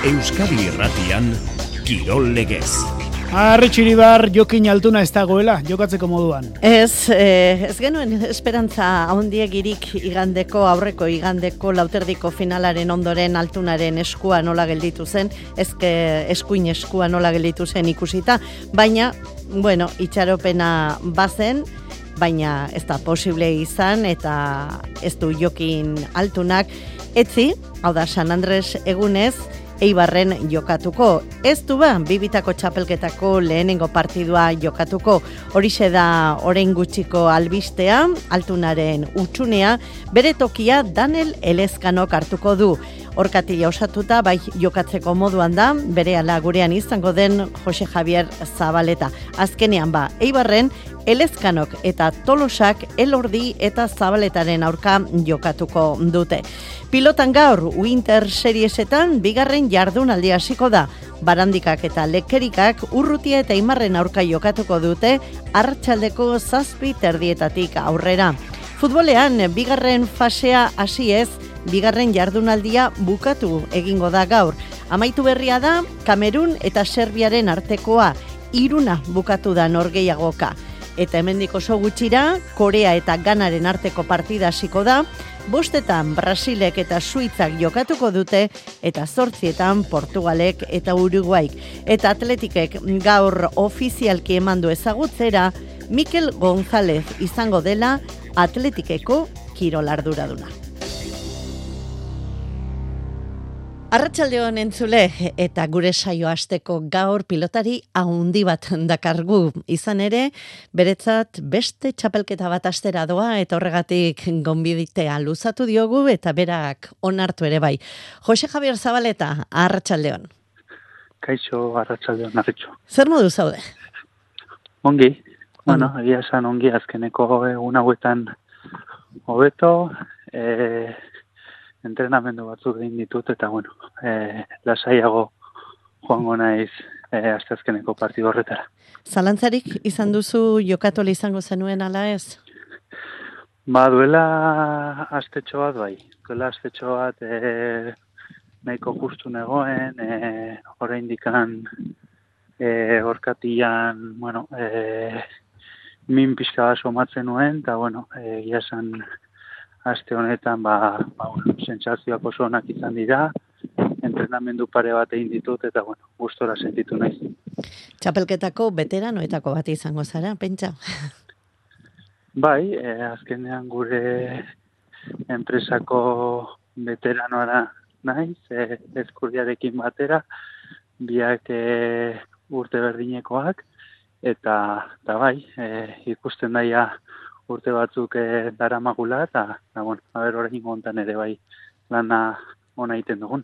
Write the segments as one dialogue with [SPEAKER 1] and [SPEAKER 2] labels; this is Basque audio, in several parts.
[SPEAKER 1] Euskadi Irratian, Kirol Legez.
[SPEAKER 2] Arretxiribar Jokin Altuna ez dagoela, jokatzeko moduan.
[SPEAKER 3] Ez genuen esperantza handiegirik aurreko igandeko lauterdiko finalaren ondoren Altunaren eskua nola gelditu zen, eskuin eskua nola gelditu zen ikusita, baina, itxaropena bazen, baina ez da posible izan eta ez du Jokin Altunak etzi, hau da San Andres egunez, Eibarren jokatuko. Ez du bibitako txapelketako lehenengo partidua jokatuko. Horixe da orain gutxiko albistea, Altunaren utxunea, bere tokia Daniel Elezkanok hartuko du. Orkatila osatuta, bai jokatzeko moduan da, berehala gurean izango den Jose Javier Zabaleta. Azkenean Eibarren, Elezkanok eta Tolosak Elordi eta Zabaletaren aurka jokatuko dute. Pilotan gaur, Winter Seriesetan, bigarren jardunaldi hasiko da. Barandikak eta Lekerikak Urrutia eta Aimarren aurka jokatuko dute, arratsaldeko 7:30 aurrera. Futbolean, bigarren fasea hasi ez, bigarren jardunaldia bukatu egingo da gaur. Amaitu berria da, Kamerun eta Serbiaren artekoa, 3 bukatu da norgehiagoka. Eta hemendik oso gutxira, Korea eta Ganaren arteko partida hasiko da, 5 Brasilek eta Suitzak jokatuko dute, eta 8 Portugalek eta Uruguaik. Eta Atletikek gaur ofizialki emandu ezagutzera, Mikel González izango dela Atletikeko kirolarduraduna. Arratsaldeon entzule, eta gure saio hasteko gaur pilotari handi bat dakargu. Izan ere, beretzat beste txapelketa bat astera doa, eta horregatik gonbiditea luzatu diogu, eta berak onartu ere bai. Jose Javier Zabaleta, arratsaldeon.
[SPEAKER 4] Kaixo, arratsaldeon, arretxo.
[SPEAKER 3] Zer modu zaude?
[SPEAKER 4] Ongi, egia esan ongi azkeneko egun hauetan hobeto, entrenamendu batzuk egin ditut, eta lasaiago joango naiz asteazkeneko partidu horretara.
[SPEAKER 3] Zalantzarik izan duzu jokatu izango zenuen ala ez?
[SPEAKER 4] Duela astetxo bat bai. Duela astetxo bat nahiko justu negoen, oraindikan orkatilan, min pixka bat somatzen nuen, eta egia esan aste honetan, sentsazioak oso onak izan dira, entrenamendu pare bat egin ditut, eta gustora sentitu naiz.
[SPEAKER 3] Txapelketako veteranoetako bat izango zara, pentsa?
[SPEAKER 4] Bai, azkenean gure enpresako veteranoara naiz, Ezkurdiarekin batera, biak urte berdinekoak, eta bai, ikusten daia urte batzuk daramagula, eta orain hontan ere bai lana ona egiten dugun.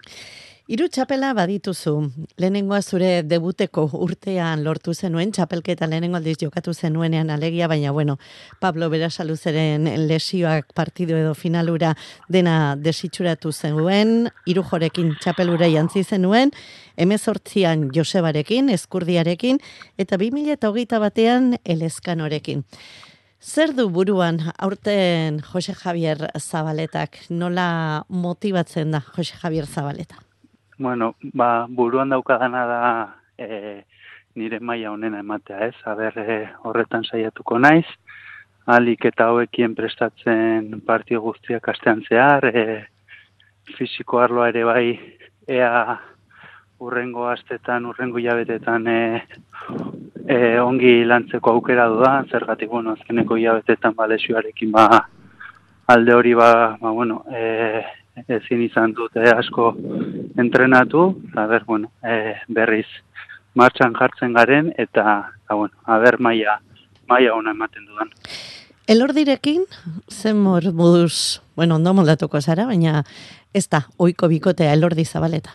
[SPEAKER 3] 3 txapela badituzu. Lehenengoa zure debuteko urtean lortu zenuen, txapelketa lehenengo aldiz jokatu zenuenean alegia, baina Pablo Berasaluzeren lesioak partidu edo finalura dena desitxuratu zenuen, Irujorekin txapelura jantzi zenuen, 18an Josebarekin, Ezkurdiarekin, eta 2021an Elezkanorekin. Zer du buruan aurten Jose Javier Zabaletak? Nola motibatzen da Jose Javier Zabaleta?
[SPEAKER 4] Buruan daukadana da nire maila honena ematea, ez? Horretan saiatuko naiz, ahalik eta hauekien prestatzen partio guztiak astean zehar, fisiko arloa ere bai, ea urrengo astetan, urrengo hilabetetan ongi lantzeko aukera dudan, zergatik, azkeneko hilabetetan lesioarekin alde hori ezin izan dute asko entrenatu, berriz martxan jartzen garen, eta maila ona ematen dudan.
[SPEAKER 3] Elordirekin, zen moduz, ondo moldatuko zara, baina ez da, ohiko bikotea Elordi Zabaleta.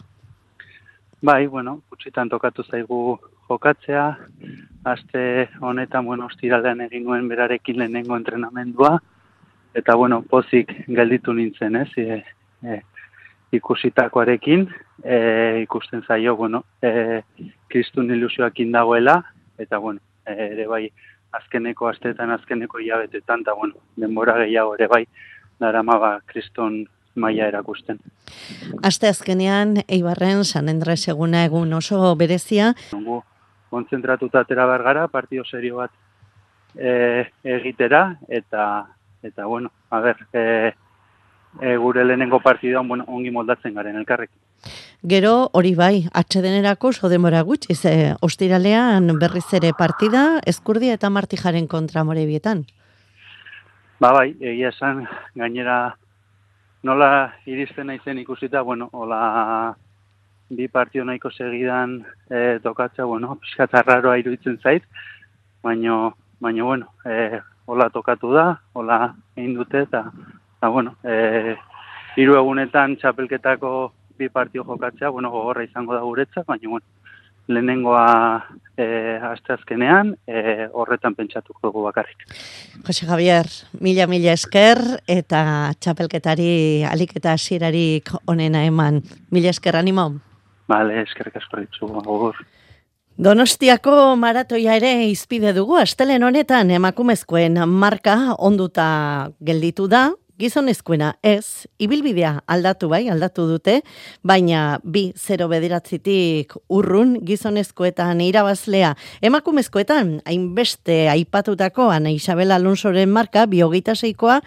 [SPEAKER 4] Bai, gutxitan tokatu zaigu jokatzea, aste honetan, ostiralean egin nuen berarekin lehenengo entrenamendua, eta, pozik gelditu nintzen, ez, ikusitakoarekin, ikusten zaio, kristun ilusioakin dagoela, eta, ere bai, azkeneko asteetan, azkeneko hilabetetan, eta, denbora gehiago ere bai, darama kriston maila erakusten.
[SPEAKER 3] Asteazkenean Eibarren San Andres eguna egun oso berezia.
[SPEAKER 4] Gu kontzentratuta atera behar gara, partido serio bat egitera, eta bueno, a ber, gure lehenengo partidoan ongi moldatzen garen elkarrekin.
[SPEAKER 3] Gero hori bai, atsedenerako oso denbora gutxi, ostiralean berriz ere partida, Ezkurdia eta Martijaren kontra Morebietan.
[SPEAKER 4] Bai, egia esan, gainera nola iristen naizen ikusita, hola bi partio nahiko segidan tokatzea, pixkat arraroa iruditzen zait, baina hola tokatu da, hola egin dute, eta hiru egunetan txapelketako bi partio jokatzea, gogorra izango da guretzat, baina lehenengoa asteazkenean, horretan pentsatuko dugu bakarrik.
[SPEAKER 3] Jose Javier, mila esker, eta txapelketari alik eta hasierarik onena eman. Mila esker, animo?
[SPEAKER 4] Bale, eskerrik asko ditzu, agur.
[SPEAKER 3] Donostiako maratoia ere izpide dugu, astelehen honetan emakumezkoen marka onduta gelditu da, gizonezkoena ez, ibilbidea aldatu dute, baina 2-0 urrun gizonezkoetan irabazlea. Emakumezkoetan, hainbeste aipatutako Ana Isabel Alonsoren marka, 26koa,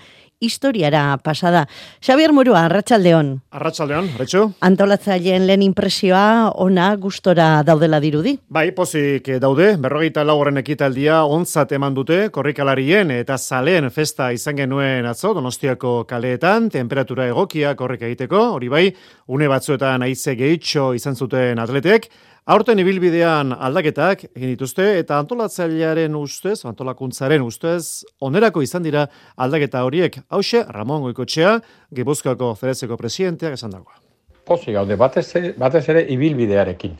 [SPEAKER 3] historiara pasada. Xabier Murua, arratsaldeon.
[SPEAKER 5] Arratsaldeon, Retxu.
[SPEAKER 3] Antolatzaileen lehen impresioa ona gustora daudela dirudi.
[SPEAKER 5] Bai, pozik daude, 44 ekitaldia ontzat eman dute, korrikalarien eta zaleen festa izan genuen atzo, Donostiako kaleetan, temperatura egokia korrika egiteko, hori bai, une batzuetan haize gehitxo izan zuten atletek, aurten ibilbidean aldaketak egin dituzte eta antolatzailearen ustez, antolakuntzaren ustez, onerako izan dira aldaketa horiek. Hauxe, Ramon Goikotxea, Gipuzkoako Federazioko presidenteak esan dagoa.
[SPEAKER 6] Pozik gaude, batez ere ibilbidearekin.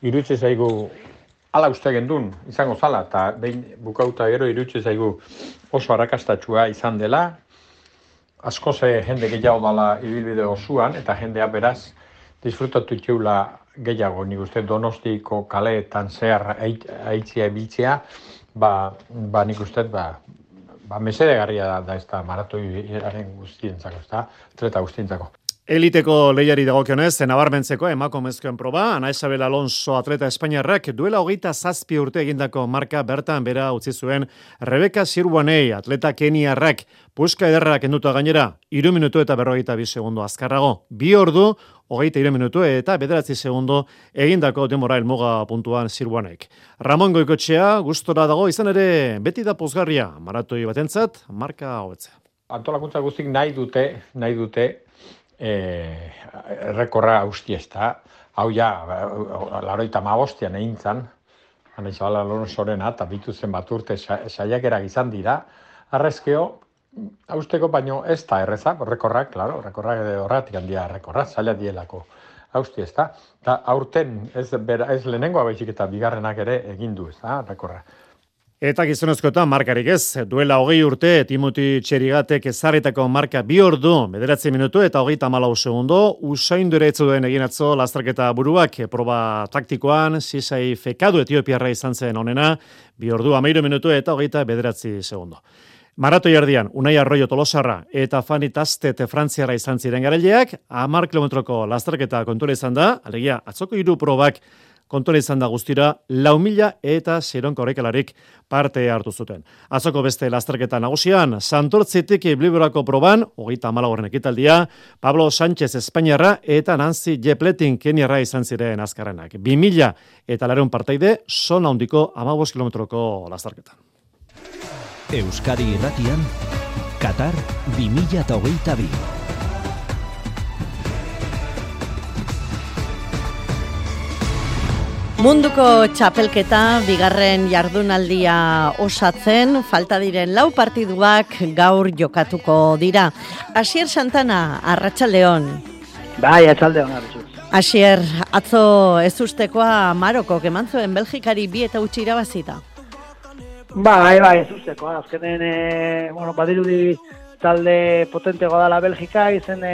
[SPEAKER 6] Irutze zaigu ala uste gendun izango zala, eta behin bukauta gero irutze zaigu oso arrakastatsua izan dela, asko ze jende gehiago dala ibilbide osoan, eta jendea beraz disfrutatu txeula gehiago, nik uste Donostiko kaleetan zehar aitzia ebiltzea, nik uste, mesedegarria da ez da maratoiaren guztientzako, ez da, atleta guztientzako.
[SPEAKER 5] Eliteko lehiari dagokionez, nabarmentzeko emakumezkoen proba, Ana Isabel Alonso atleta espainiarrak duela 27 urte egindako marka bertan bera utzi zuen Rebeka Sirwanei atleta keniarrak puska ederrak kenduta gainera 3 minutu eta 42 segundo azkarrago. 2 ordu 23 minutu eta 9 segundo egindako denbora helmuga puntuan Sirwanek. Ramon Goikotxea gustora dago izan ere beti da pozgarria maratoi batentzat marka hobetzea.
[SPEAKER 6] Antolakuntza guztik nahi dute errekorra hausti ez da. Hau ja, 85an egin zan, Ana Isabel Alonsorena, eta bitu zen bat urte saiakerak izan dira. Arrezkeo, hausteko baino ez da erreza, rekorrak horretik handia rekorra, zaila dielako hausti ez da. Eta aurten ez lehenengoa baizik eta bigarrenak ere egin du ez da, rekorra.
[SPEAKER 5] Eta gizonezkoetan markarik ez, duela 20 urte, Timoti Txerigatek ezarritako marka 2 ordu, 9 minutu eta 34 segundo, Usain Bolt duen egin atzo lasterketa buruak, proba taktikoan, Sisai Fekadu Etiopiarra izan zen onena, 2 ordu, 13 minutu eta 29 segundo. Maratoi erdian, Unai Arroyo Tolosarra eta Fani Tastet Frantziara izan ziren garaileak, 10 kilometroko lasterketa kontura izan da, alegia, atzoko 3 probak kontuan izan da guztira 4.000 eta Seiron korrikalarik parte hartu zuten. Atzoko beste lasterketa nagusian, Santortzitik Bliborako proban, 34. ekitaldia, Pablo Sánchez Espainiarra eta Nancy Jepletin Keniarra izan ziren azkarrenak. 2.000 eta 400 parteide, zona handiko 15 kilometroko lasterketan.
[SPEAKER 1] Euskadi Irratian, Qatar 2022.
[SPEAKER 3] Munduko txapelketa, bigarren jardunaldia osatzen, falta diren 4 partiduak gaur jokatuko dira. Asier Santana, arratsaldeon.
[SPEAKER 7] Bai, arratsaldeon, arratsaldeon.
[SPEAKER 3] Asier, atzo ez ustekoa Marokok eman zuen Belgikari 2-0 irabazita.
[SPEAKER 7] Bai, ez ustekoa. Azkenen, badirudi talde potenteagoa dela Belgika, izen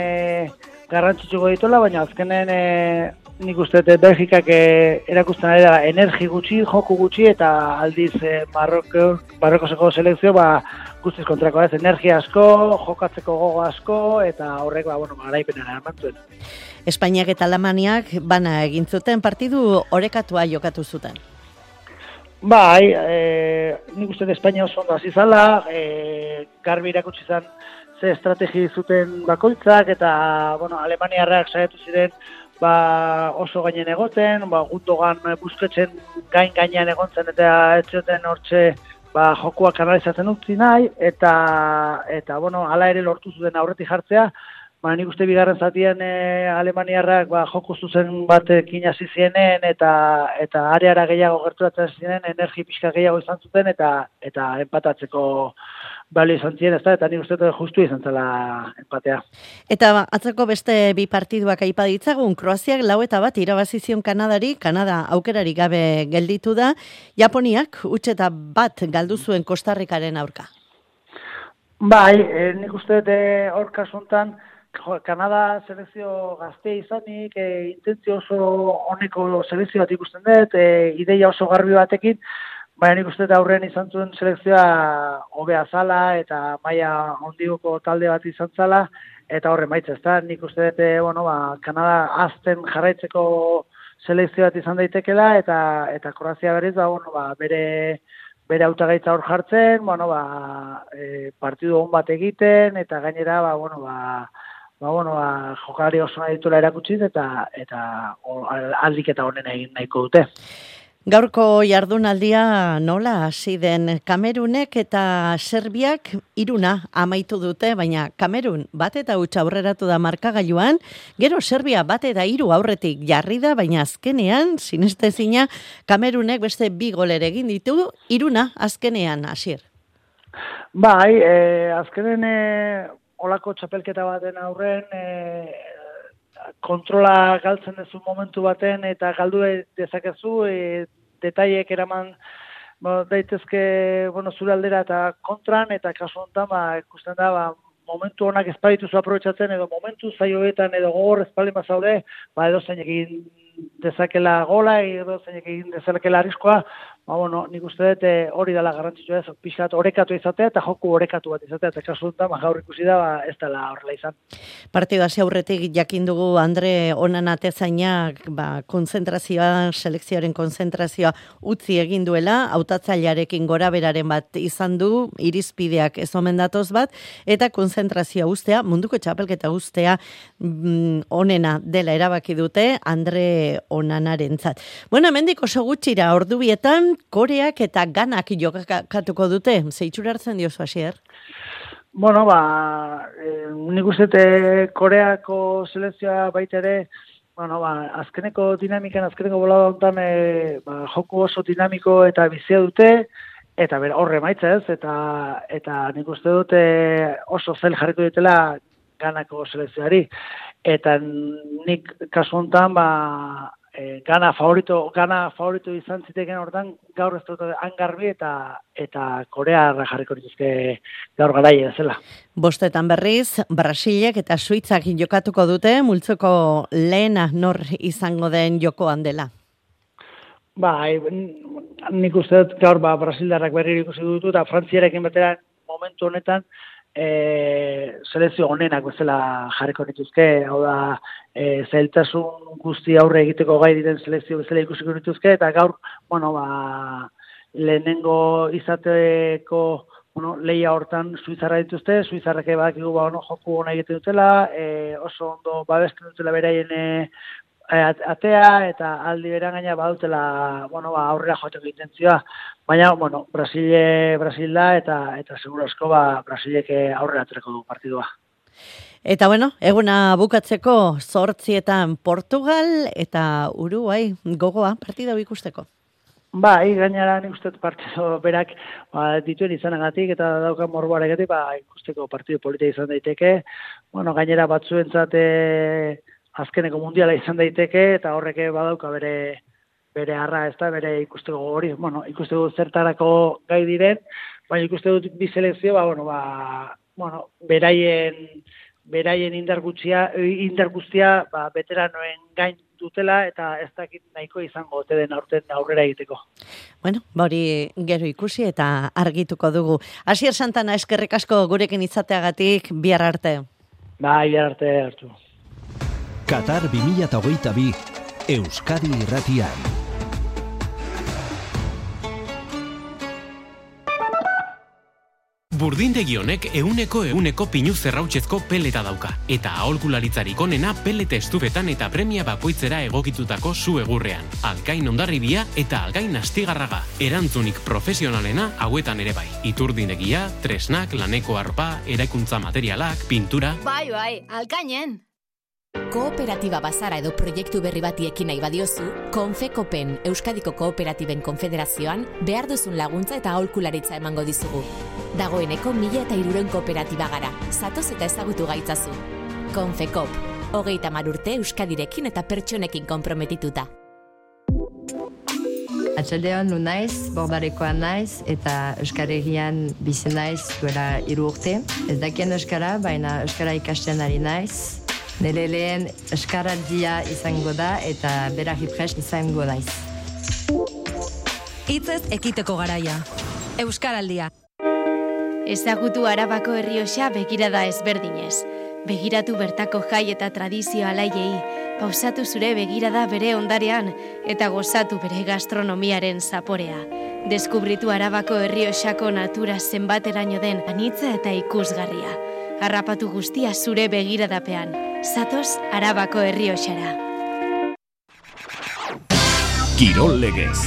[SPEAKER 7] garrantzitsuko dituela, baina azkenen nik uste dut Belgikak erakusten ari da energi gutxi, joku gutxi, eta aldiz Marrokoseko selekzio guztiz kontrakoa ez, energia asko, jokatzeko gogo asko, eta horrek garaipenera emantzuen.
[SPEAKER 3] Espainiak eta Alemaniak bana egin zuten partidu orekatua jokatu zuten.
[SPEAKER 7] Bai, nik uste dut Espainia oso ondo hasi zala, garbi irakutsi zan ze estrategi zuten bakoitzak, eta Alemaniarrak saiatu ziren oso gainen egoten, Gundogan Busquetsen gainean egontzen eta ez zuten hortxe jokuak kanalizatzen utzi nahi, eta hala ere lortu zuten aurretik jartzea. Nik uste bigarren zatian Alemaniarrak joku zuzen batekin hasi zienen eta areara gehiago gerturatzen ziren, energi pixka gehiago izan zuten eta empatatzeko balio izan ziren, eta nik uste justu izan zela empatea.
[SPEAKER 3] Eta atzeko beste bi partiduak aipa ditzagun, Kroaziak 4-1 irabazi zion Kanadari, Kanada aukerari gabe gelditu da, Japoniak 1-1 galdu zuen Kostarrikaren aurka.
[SPEAKER 7] Bai, nik uste hor kasuntan, Kanada selekzio gazte izanik, intentzio oso honeko selekzio bat ikusten dut, ideia oso garbi batekin, baina nik uste aurrean izan zuen selekzioa hobea zala eta maila hondigoko talde bat izan zala, eta horren baitza, ezta? Nik uste dut, Kanada azten jarraitzeko selekzio bat izan daitekela, eta Kroazia berriz, bere hautagaitza hor jartzen, partidu on bat egiten, eta gainera, jokalari oso nahi dituela erakutsi eta aldik eta honen egin nahiko dute.
[SPEAKER 3] Gaurko jardunaldia nola hasi den? Kamerunek eta Serbiak 1-0 amaitu dute, baina Kamerun 1-0 aurreratu da markagailuan, gero Serbia 1-3 aurretik jarri da, baina azkenean, sinestezina, Kamerunek beste 2 golere egin ditu, 1-0 azkenean, Asier.
[SPEAKER 7] Bai, azkenen olako txapelketa baten aurren, kontrola galtzen duzu momentu baten eta galdu dezakezu, detaiek eraman daitezke zure aldera eta kontran, eta kasu honetan ikusten da momentu honak ez badituzu aprobetxatzen, edo momentu zaioetan edo gogor ez baldin bazaude, edo zeinek egin dezakela gola, edo zeinek egin dezakela arriskoa, nik uste dut hori dela garrantzitsua ez, pixkat orekatu izatea eta joku orekatu bat izatea, eta kasu honetan gaur ikusi da ez dela horrela izan.
[SPEAKER 3] Partidu hasi aurretik jakin dugu Andre Onana Atezainak konzentrazioa, selekzioaren konzentrazioa utzi egin duela, hautatzailearekin goraberaren bat izan du, irizpideak ez omen datoz bat, eta konzentrazioa ustea, munduko txapelketa ustea onena dela erabaki dute Andre Onanarentzat. Bueno, hemendik oso gutxira ordubietan Koreak eta Ganak jokatuko dute, zeitzura hartzen diozu, Asier?
[SPEAKER 7] Nik uste Koreako selekzioa baita ere, azkeneko dinamikan, azkeneko bolada honetan, joku oso dinamiko eta bizia dute, eta horre maitza ez, eta nik uste dute oso zail jarriko dutela Ganako selekzioari, eta nik kasu honetan, Gana favorito izan ziteken hortan, gaur ez dut hangarbi eta Korea jarriko dituzke gaur garaia zela.
[SPEAKER 3] Bostetan berriz, Brasilek eta Suitzak jokatuko dute, multzoko lehena nor izango den jokoan dela.
[SPEAKER 7] Nik uste dut gaur Brasildarrak berri ikusi dutu, eta Frantziarekin batera momentu honetan, selekzio honenak bezala jarriko dituzke, hau da, zailtasun guzti aurre egiteko gai diren selekzio bezala ikusiko dituzke, eta gaur, lehenengo izateko lehia hortan Suitzarra dituzte, Suitzarrak badakigu joku hona egiten dutela, oso ondo babesten dutela beraien atea, eta aldi beran gaina badutela aurrera joateko intentzioa. Baina, Brasil da, eta seguro asko Brasilek aurrera aterako du partidua.
[SPEAKER 3] Eta eguna bukatzeko 8:00 Portugal eta Uruguay gogoa partida ikusteko.
[SPEAKER 7] Gainera nik uste partido berak dituen izanagatik eta daukan morboaregatik ikusteko partido polita izan daiteke. Gainera batzuentzat azkeneko mundiala izan daiteke, eta horrek badauka bere arra, ez da, bere ikusteko hori, ikusteko zertarako gai diren, baina ikusteko bi selekzio, beraien indar guztia, veteranoen gain dutela eta ez dakit nahiko izango ote den aurrera egiteko.
[SPEAKER 3] Bueno, hori gero ikusi eta argituko dugu. Asier Santana, eskerrik asko gurekin izateagatik, bihar arte.
[SPEAKER 7] Bai, bihar arte hartu.
[SPEAKER 1] Qatar 2022 Euskadi Irratian.
[SPEAKER 8] Burdindegi honek euneko pinu zerrautzezko peleta dauka. Eta aholkularitzarik onena pelete estufetan eta premia bakoitzera egokitutako zu egurrean. Algain Hondarribia eta Algain Astigarraga. Erantzunik profesionalena hauetan ere bai. Iturdinegia, tresnak, laneko arpa, eraikuntza materialak, pintura...
[SPEAKER 9] Bai, Algainen!
[SPEAKER 10] Kooperatiba bazara edo proiektu berri bati ekin nahi badiozu, Konfekopen Euskadiko Kooperatiben Konfederazioan behar duzun laguntza eta aholkularitza emango dizugu. Dagoeneko 1300 kooperatiba gara, zatoz eta ezagutu gaitzazu. Konfekop, 30 urte Euskadirekin eta pertsonekin konprometituta.
[SPEAKER 11] Atxaldean nu naiz, bordarekoa naiz, eta Euskal-Herrian bizi naiz duela 3 urte. Ez dakien euskara, baina euskara ikasten ari naiz. Nire lehen euskaraldia izango da eta berari prest izango daiz.
[SPEAKER 9] Hitzez ekiteko garaia. Euskaraldia. Ezagutu Arabako Errioxa begirada ezberdinez. Begiratu bertako jai eta tradizio alaiei, pausatu zure begirada bere ondarean eta gozatu bere gastronomiaren zaporea. Deskubritu Arabako Errioxako natura zenbateraino den anitza eta ikusgarria. Harrapatu guztia zure begiradapean. Zatoz Arabako Errioxara.
[SPEAKER 1] Kirol legez.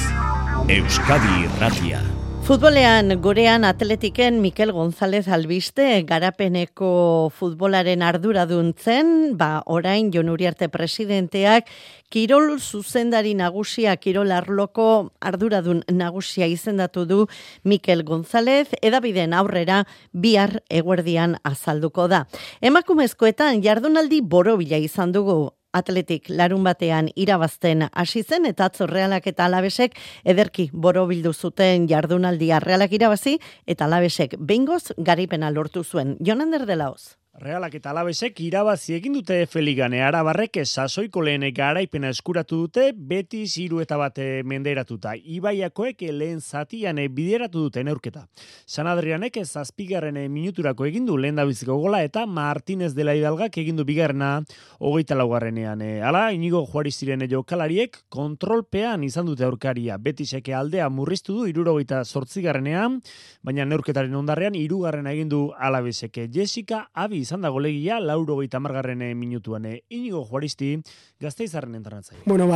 [SPEAKER 1] Euskadi Irratia.
[SPEAKER 3] Futbolean gurean Atletiken Mikel González albiste garapeneko futbolaren arduradun zen, orain Jon Uriarte presidenteak kirol zuzendari nagusia, kirol arloko arduradun nagusia izendatu du Mikel González, edabideen aurrera bihar eguerdian azalduko da. Emakumezkoetan jardunaldi borobila izan dugu. Atletik larun batean irabazten hasi zen eta atzo Realak eta Alabesek ederki borobildu zuten jardunaldia. Realak irabazi eta Alabesek behingoz garaipena lortu zuen. Jonander de Laoz.
[SPEAKER 2] Realak eta Alabesek irabazi egin dute F-ligan, Arabarrek sasoiko lehen garaipena eskuratu dute, Betis 3-1 menderatuta. Ibaiakoek lehen zatian bideratu dute neurketa. San Adrianek 7. minuturako egin du lehendabiziko gola eta Martínez de la Hidalgak egin du bigarrena 24. Hala, Inigo Juariziren jokalariek kontrolpean izan dute aurkaria. Betisek aldea murriztu du 78. baina neurketaren ondarrean 3. egin du Alabesek. Jessica Abi izan da golegia 80. minutuan. Inigo Juaristi Gasteizarren entrenatzaile.
[SPEAKER 12] Bueno,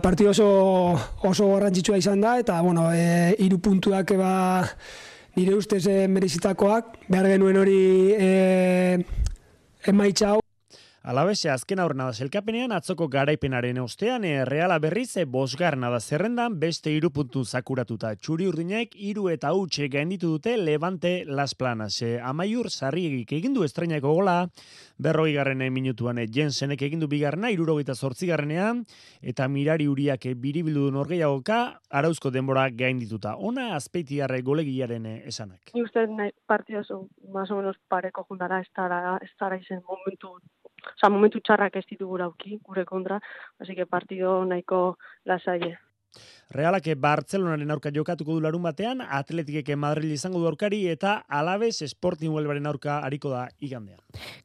[SPEAKER 12] partido oso garrantzitsua izan da eta 3 puntuak nire ustez merezitakoak. Behar genuen hori emaitza hau.
[SPEAKER 2] Alabese azken aurrena da selkapenean atzoko garaipenaren ostean Reala berriz 5. da zerrendan beste 3 puntu zakuratuta. Txuri urdinek 3 eta huts gainditu dute Levante Las Planas. Amaiur Sarriegik egin du estreinaiko gola 40. minutuan. Jensenek egin du bigarrena 78. eta Mirari Uriak biribildu du norgehiagoka arauzko denbora gaindituta. Ona Azpeitiarre golegiaren esanak.
[SPEAKER 13] Ni uste partido oso más o menos pareko juntara estará izen momentu txarrak ez ditugu auki gure kontra, así que partido nahiko lasaie.
[SPEAKER 2] Realak Bartzelonaren aurka jokatuko du larun batean, Atletikek Madrid izango du aurkari eta Alabes Sporting Huelvaren aurka ariko da igandean.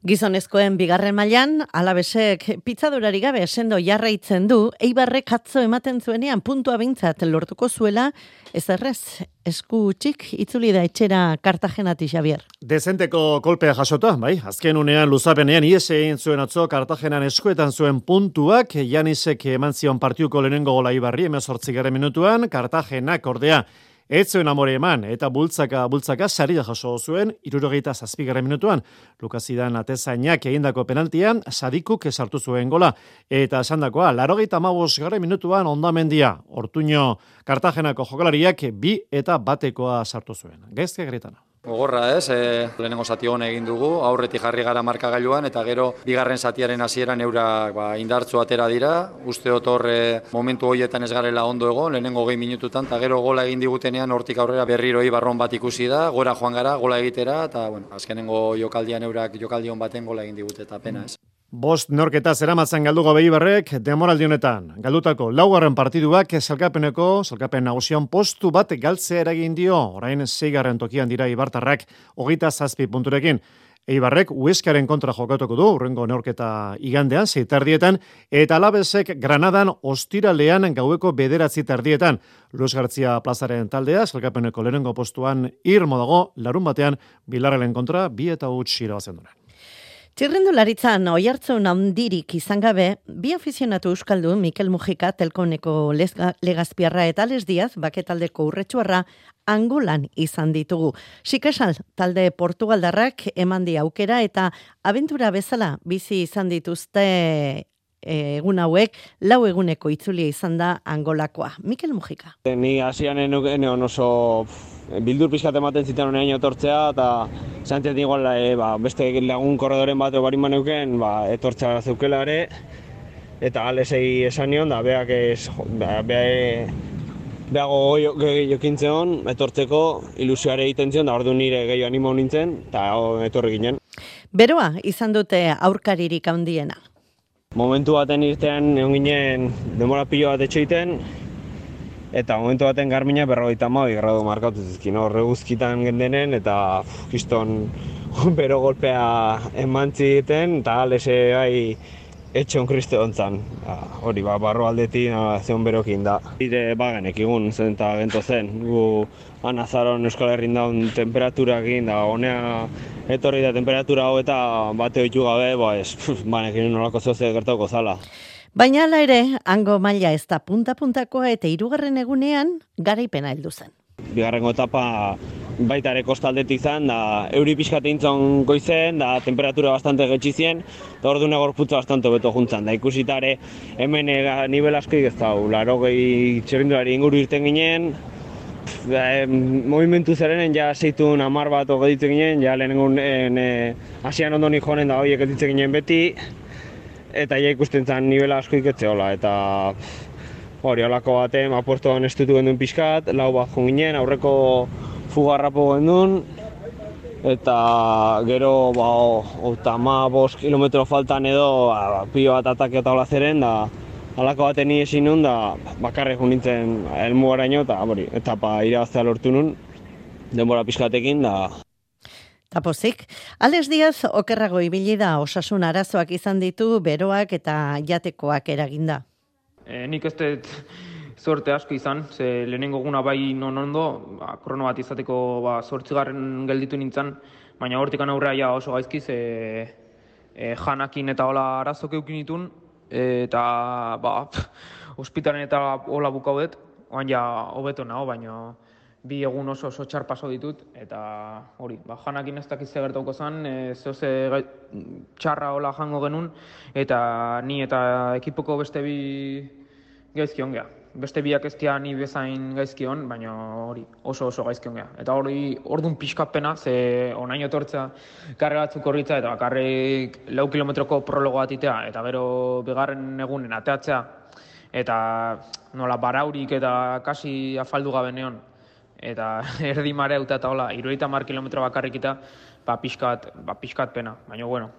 [SPEAKER 3] Gizonezkoen bigarren mailan, Alabesek pitzadurari gabe sendo jarraitzen du, Eibarrek atzo ematen zuenean puntua behintzat lortuko zuela, ez errez, esku txik itzuli da etxera Kartagenati, Xavier.
[SPEAKER 5] Dezenteko kolpea jasota, bai, azken unean luzapenean ies egin zuen atzo Kartagenan eskuetan zuen puntuak, Janisek eman zion partiuko lehenengo gola Eibarri, 18. minutuan, Kartagenak ordea ez zuen amore eman, eta bultzaka saria jaso zuen, 77. minutuan, Lukazidan atezainak egindako penaltian, Sadikuk sartu zuen gola, eta esandakoa, 85. minutuan ondamendia, Ortuño Kartagenako jokalariak 2 eta 1 sartu zuen. Gaizke Gretana.
[SPEAKER 14] Gogorra ez, lehenengo zati hona egin dugu, aurretik jarri gara markagailuan, eta gero bigarren zatiaren hasieran eurak indartzu atera dira, uste dut horre momentu horietan ez garela ondo egon, lehenengo 20 minututan, eta gero gola egin digutenean hortik aurrera berriro Ibarron bat ikusi da, gora joan gara, gola egitera, eta azkenengo jokaldian eurak jokaldion baten gola egin digute, eta pena ez.
[SPEAKER 5] 5 neurketa zeramatzan galduko Eibarrek denboraldi honetan. Galdutako 4. partiduak sailkapen nagusian postu bat galtzea eragin dio. Orain 6. tokian dira eibartarrak 27 punturekin. Eibarrek Hueskaren kontra jokatuko du, hurrengo neurketa igandean, 6:30, eta Alabesek Granadan ostiralean gaueko 9:30. Luis Gartzia plazaren taldea, sailkapeneko lehenengo postuan irmo dago, larun batean Bilarrelen kontra 2-0 irabazen duen.
[SPEAKER 3] Txirrindularitzan oihartzun handirik izan gabe, bi afizionatu euskaldu Mikel Mujika, Telkoneko Legazpiarra eta Les Diaz, baketaldeko Urretxuarra, Angolan izan ditugu. Sikesal, talde Portugaldarrak emandi aukera eta abentura bezala bizi izan dituzte egun hauek, 4 eguneko itzulia izan da Angolakoa. Mikel Mujika.
[SPEAKER 15] Ni hasian eneon oso bildur pixkat ematen zitan honean etortzea, eta zantzat igual beste lagun korredoren bat barin maneuken, etortzea zeukela ere, eta galesei esan nion, da behago jokintzen etortzeko ilusioare egiten zion, da ordu nire gehiago animo nintzen, eta etorri ginen.
[SPEAKER 3] Beroa izan dute aurkaririk handiena.
[SPEAKER 15] Momentu baten irtean egon ginen denbora pilo bat etxeiten, eta momentu baten Garmina 52 gradu markatu zizkin, horre guzkitan gendenen, eta kiston bero golpea emantzi egiten, eta galese bai etxon kriste ontzan. Hori, barro aldetik zeon berokin da. Ire bagenek egun zen eta gento zen. Gu anazaron Euskal Herrin daun temperaturakin, da honea etorri da temperatura hau eta bate oitu gabe, banekin nolako zoze gertauko zala.
[SPEAKER 3] Baina hala ere, hango maila ez da punta-puntakoa eta 3. egunean garaipena heldu zen.
[SPEAKER 15] Bigarrengo etapa baita ere kostaldetik zen, da euri pixkate intzon goizen, da temperatura bastante getxizien, eta ordu negorputza bastante beto juntzan. Da ikusitare hemen nivel askoik ez da, 80 txirrindulari inguru irten ginen, movimentu zerenen ja zeitun 10 bat ogeditzen ginen, ja lehenengun hasian ondoni joanen da horiek editzen ginen beti, eta ja ikusten zen nivela askoik etzeola, eta hori holako baten apuestoan estutu genduen pixkat, 4 bat joan ginen, aurreko fugarrapo genduen, eta gero 55 kilometro faltan edo pilo bat atake eta hola zeren, da halako baten ni ezin nun, da bakarrik joan nintzen helmugaraino, eta hori, etapa irabaztea lortu nun, denbora pixkatekin, da.
[SPEAKER 3] Tapozik, Les Diaz okerrago ibili da, osasun arazoak izan ditu, beroak eta jatekoak eraginda.
[SPEAKER 16] Nik ez dut zorte asko izan, ze lehenengo guna bai ondo, krono bat izateko 8. gelditu nintzen, baina hortikan aurrea ja oso gaizki, ze janakin eta hola arazok eukin ditun, eta ospitalen eta hola bukaudet, oan ja hobeto nago, baina 2 egun oso txar paso ditut, eta hori, janakin ez dakiz gertauko zen, zehose txarra hola jango genuen, eta ni eta ekipoko beste 2 gaizki ongea. Beste 2 ez dira ni bezain gaizki on, baina hori oso gaizki ongea. Eta hori ordun pixkapena, ze onaino etortza karre batzuk horritza, eta bakarrik 4 kilometroko prologo bat itea, eta gero bigarren egunen ateatzea, eta nola baraurik eta kasi afaldu gabe neon, eta erdi marea eta hola, 70 kilometro bakarrik eta pixkat pena, baina bueno.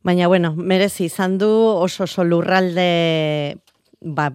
[SPEAKER 3] Baina bueno, merezi izan du oso lurralde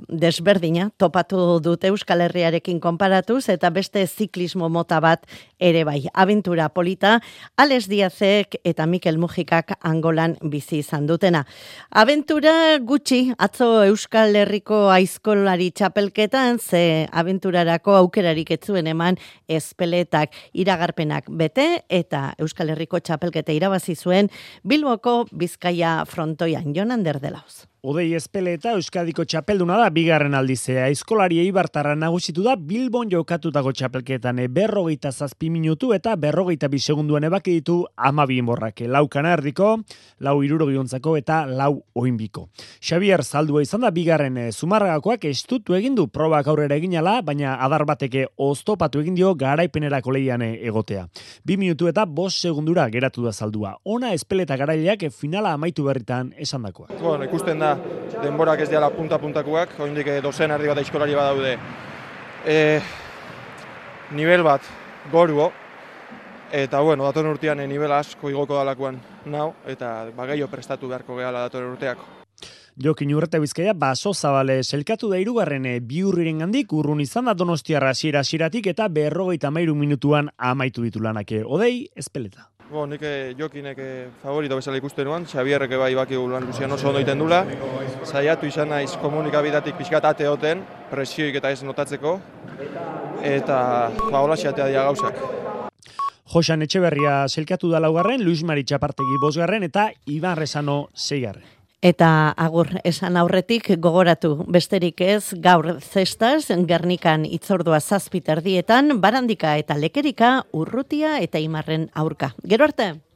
[SPEAKER 3] desberdina, topatu dute Euskal Herriarekin konparatuz, eta beste ziklismo mota bat ere bai. Abentura polita, Les Diazek eta Mikel Mujikak Angolan bizi izan dutena. Abentura gutxi, atzo Euskal Herriko aizkolari txapelketan, ze abenturarako aukerarik etzuen eman ezpeletak iragarpenak bete, eta Euskal Herriko txapelketa irabazi zuen Bilboko Bizkaia frontoian. Jon Ander de Laoz.
[SPEAKER 2] Odei Ezpeleta Euskadiko txapelduna da, 2. aldizea. Aizkolari eibartarra nagusitu da Bilbon jokatutako txapelketan 47 minutu eta 42 segunduan ebaki ditu 12 borrake. 4 kanardiko, 4 irurogiontzako eta 4 oinbiko. Xabier Zaldua izan da 2. Zumarragakoak estutu egin du probak aurrera eginala, baina adar bateke oztopatu egin dio garaipenerako lehian egotea. 2 minutu eta 5 segundura geratu da Zaldua. Ona Ezpeleta garaileak finala amaitu berritan esandakoak.
[SPEAKER 17] Bueno, ikusten da denborak ez diala punta-puntakoak, oraindik dozen erdi bat aizkolari badaude. Nivel bat goruo, Eta, bueno, datorren urtean nivela asko igoko dalakoan nau, eta gehiago prestatu beharko gehala datorren urteako.
[SPEAKER 2] Jokin Urreta Bizkaia baso zabale selkatu da 3. Biurriren gandik urrun izan da Donostiarra hasieratik eta 53 minutuan amaitu ditu lanak. Odei, Ezpeleta.
[SPEAKER 17] Nik Jokinek favorito bezala ikusten nuan, Xabierrek bai bakigu lan guzian oso ondo iten dula. Saiatu izan naiz komunikabidatik pixkat ateoten, presioik eta ez notatzeko, eta hola xatea dira gauzak.
[SPEAKER 2] Josan Etxeberria selkatu da 4, Luis Mari Txapartegi 5 eta Iban Rezano 6.
[SPEAKER 3] Eta agur esan aurretik gogoratu besterik ez gaur zestaz, Gernikan itzordua 7:00 Barandika eta Lekerika, Urrutia eta Imarren aurka. Gero arte!